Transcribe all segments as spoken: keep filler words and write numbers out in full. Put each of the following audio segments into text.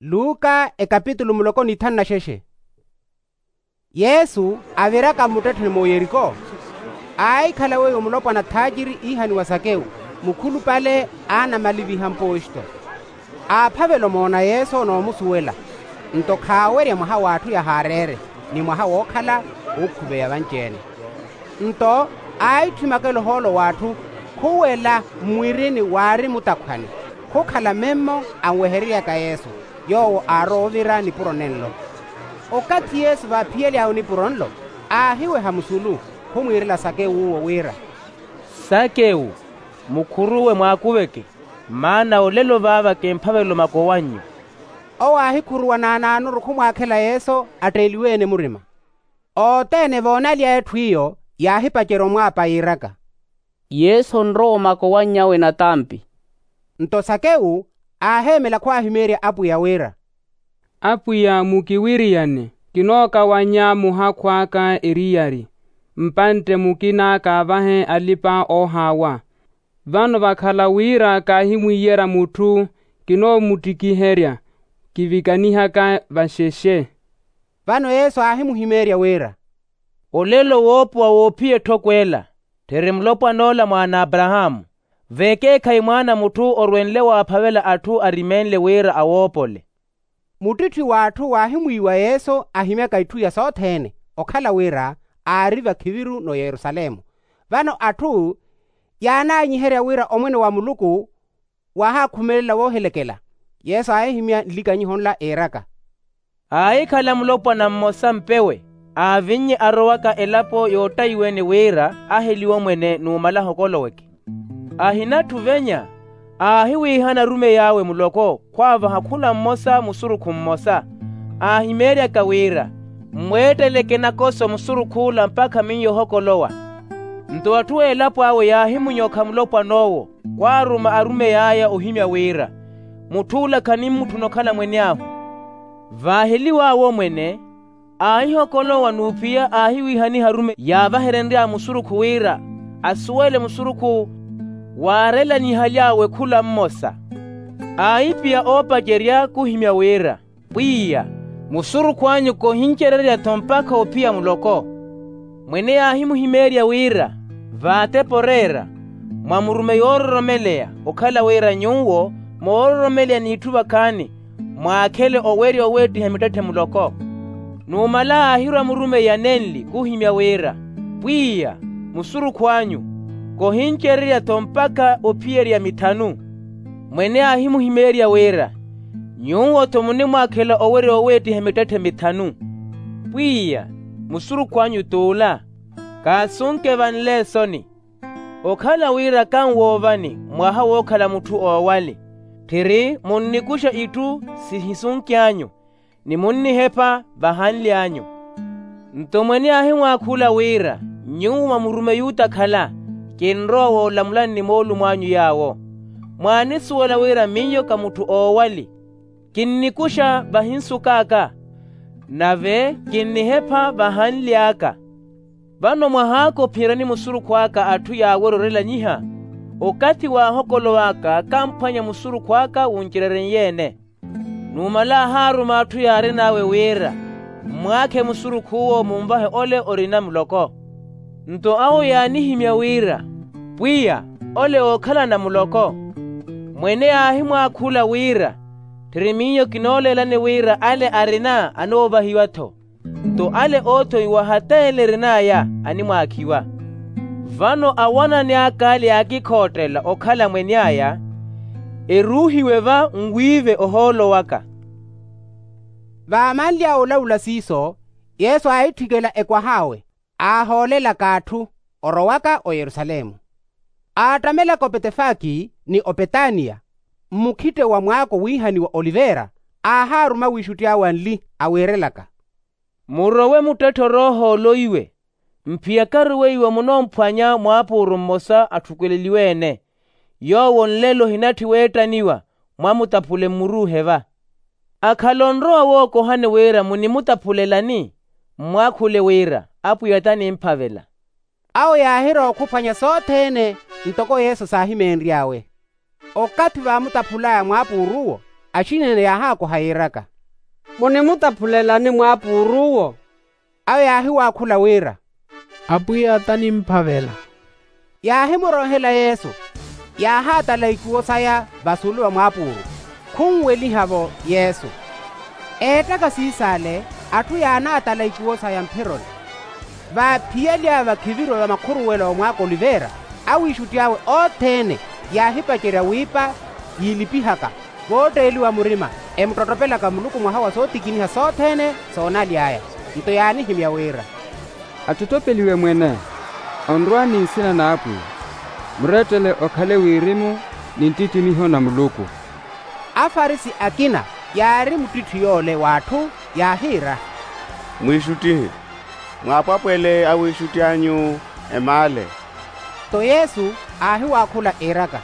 Luka ekapitulu muloko n'ithanu na xexe. Yesu aviraka mmuttettheni mu yeriko, aahikhala weiwo mulopwana thaaciri iihaniwa sakewu, mukhulupale a anamaliviha mposto. Aaphavela omoona yesu n'omusuwela. Nto khaawerya mwaha w'atthu yahaareere, ni mwaha wookhala wuukhuveya vanci-ene. Nto aahitthwimakela ohoolo w'atthu, khuwela mmwirini waari mutakhwani, khukhala memmo anwehereryaka yesu, yoowo aarowa ovira nipuro nenlo. Okathi yesu vaaphiyely'awe nipuro nlo, aahiweha musulu, khumwiirela sakewu uwo wira, sakewu, mukhuruwe mwaakuveke, maana olelo vaava kimphavela omakowannyu. Owo aahikhuruwa naanaanuru khumwaakhela yesu atteeliwe-ene murima. Othene voonaly'aya etthu iyo, yaahipacerya omwaapa yiiraka, yesu onrowa omakowannyawe natampi. Nto sakewu aaheemela khwaahimeerya apwiya wira, apwiya mukiwiriyane, kinookawannya muhakhu aka eriyari, mpantte mukina kaavahe alipa-oohaawa. Vano vakhala wira kaahimwiiyerya mutthu, kinoomuttikiherya, kivikanihaka vaxexe. Vano yesu aahimuhimeerya wira, olelo woopowa woophiya etthoko ela, tthiri mulopwan'ola mwaana a aparahaamu. V'ekeekhayi mwaana a mutthu orwenle waaphavela atthu arimeenle wira awoopole. Muttitthi w'atthu waahimwiiwa yesu ahimyaka itthu iya sothene, okhala wira aari vakhiviru n'oyerusalemu. Vano atthu yaanaanyiherya wira omwene wa muluku waahaakhumelela woohilekela. Yesu aahihimya nlikanyiho nla iiraka, aahikhala mulopwana mmosa mpewe, aavinnye arowaka elapo yoottayiwa-ene wira aheliwe omwene numala ahokoloweke. Ahina atthu venya, aahiwiihana arumeyi awe muloko khwaavaha khula mmosa musurukhu mmosa, aahimeeryaka wira, mmweetteleke nakoso musurukh'ula mpakha miyo ohokolowa. Nto atthu a elapo awe yaahimunyokha mulopwan'owo, khwaaruma arumey'aya ohimya wira, mutth'ula khanimutthuna okhala mweny'ahu. Vaaheliw'awe omwene, aahihokolowa n'uphiya aahiwiihaniha arumeyi yaavaherenry'awe musurukhu wira asuwele musurukhu. Waarelanyihaly'awe khula mmosa, aahipiya oopacerya khuhimya wira, pwiya, musurukhu anyu kohincererya-tho mpakha ophiya muloko. Mwene yaahimuhimeerya wira, vaatepa oreera, mwamurume yoororomeleya, okhala wira nyuwo moororomeleya n'itthu vakhaani, mwaakhele owerya oweettiha mittetthe muloko. Numala aahirwa murumeyi anenli khuhimya wira, pwiya, musurukhu anyu, kohincererya-tho mpakha ophiyerya mithanu. Mwene aahimuhimeerya wira, nyuwo-tho munimwaakhela owerya oweettiha mittetthe mithanu. Pwiya, musurukhu anyu t'ula, kaasunke vanle esoni. Okhala wira kanwoovani mwaha wookhala mutthu oowali, tthiri munnikuxa itthu sihisunky'anyu, ni munnihepha vahanly'anyu. Nto mwene aahimwaakhula wira, nyuwo mwamurume yuutakhala, kinrowa woolamulani ni moolumo anyu yaawo. Mwaanisuwela wira miyo ka mutthu oowali, kinnikuxa vahinsukaaka, nave kinnihepha vahanly'aka. Vano mwahaaka ophiyerya ni musurukhu aka atthu yaawerya orelanyiha, okathi waahokolow'aka kamphwanya musurukhu aka wuncererenye-ene. Numala aahaaruma atthu yaarin'awe wira, mmwaakhe musurukh'uwo munvahe ole orina muloko. Nto awo yaanihimya wira, pwiya, ole ookhalana muloko. Mwene aahimwaakhula wira, tthiri miyo kinooleelani wira ale arina anoovahiwa-tho, nto ale oothoiwa hata ele erin'aya animwaakhiwa. Vano awanani aka ale yaakikhoottela okhala mweny'aya, eruuhiwe va nwiive ohoolo waka. Vaamanly'awe olavula siiso, yesu aahitthikela ekwah'awe, aahoolelaka atthu, orowaka oyerusalemu. Aattamelaka opetefaki ni opetaniya, mmukhitte wa mwaako wiihaniwa oliveera, aahaaruma wiixutti awe anli, awiirelaka, murowe muttetthe oroohoolo iwe, mphiyakaru weiwo munoomphwanya mwaapuuru mmosa atthukweleliwe-ene, yoowo nlelo ohinatthi weettaniwa, mwamutaphule mmuruuhe va. Akhala onrowa wookohani wira munimutaphulelani, mmwaakhule wira, apwiya tanimphavela. Awo yaahirowa okhuphwanya sothene, ntoko yesu saahimeenry'awe. Okathi vaamutaphul'aya mwaapuuruwo, Axinene yaahaakoha yiiraka, munimutaphulelani mwaapuuru uwo? Awo yaahiwaakhula wira, apwiya tanimphavela. Yaahimuroohela yesu, yaahaatala ikuwo saya vasulu va mwaapuuru, khunweliha-vo yesu. Eettaka siis'ale, atthu yaanaatala ikuwo saya mphironi. Vaaphiyali aya vakhiviriwa va makhuruwelo a omwaaka oliveera, awiixutti awe othene yaahipacerya wiipa yiilipihaka, vootteeliwa murima, emuttottopelaka muluku mwaha wa sootikiniha sothene soonaly'aya. Nto yaanihimya wira, attottopeliwe mwene, onrwa ni nsina n'apwiya. Murettele okhale wirimu ni nttittimiho na muluku. Afarisi akina yaari muttitthi yoole w'atthu, yaahiira, mwiixuttihe, mwaapwapwele awiixutti anyu emaale. Nto yesu aahiwaakhula iiraka,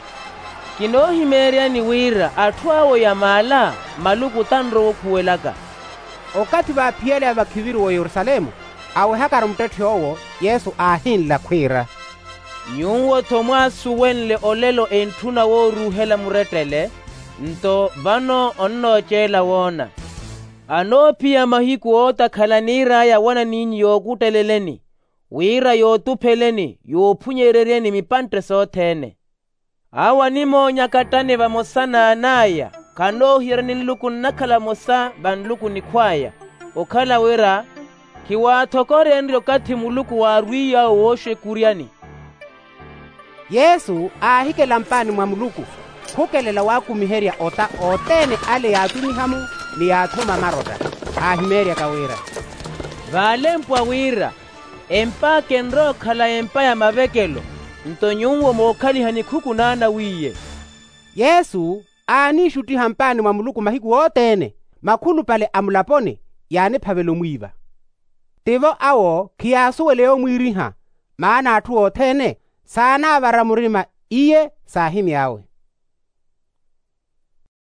kinoohimeeryani wira atthu awo yamaala, maluku tanrowa okhuwelaka. Okathi vaaphiyale a vakhiviriwa oyerusalemu, awehakari muttetth'owo, yesu aahinla khwiira, nyuwo-tho mwaasuwenle olelo entthuna wooruuhela murettele. Nto vano onnooceela woona. Anoophiya mahiku ootakhala niir'aya awanan'inyu yookutteleleni, wira yootupheleni yoophunyeryeryeni mipantte sothene. Awo animoonya kattani vamosa n'an'aya, khanoohiyerya ni nluku nnakhala vamosa va nluku nikhw'aya. Okhala wira khiwaathokoryenrye okathi muluku waarwiiy'awe wooxekuryani. Yesu aahikela mpaani mwa muluku, khukelela waakumiherya ota othene ale yaacumiha-mo, ni yaathuma marotta. Aahimeeryaka wira, vaalempwa wira, emp'aka enrowa okhala empa ya mavekelo, nto nyuwo mookhaliha nikhuku n'anawiiye. Yesu aaniixuttiha mpaani mwa muluku mahiku othene, makhulupale a mulaponi yaaniphavela omwiiva. Tivo awo khiyaasuwela yoomwiiriha, maana atthu othene saanaavara murima, iye saahimy'awe.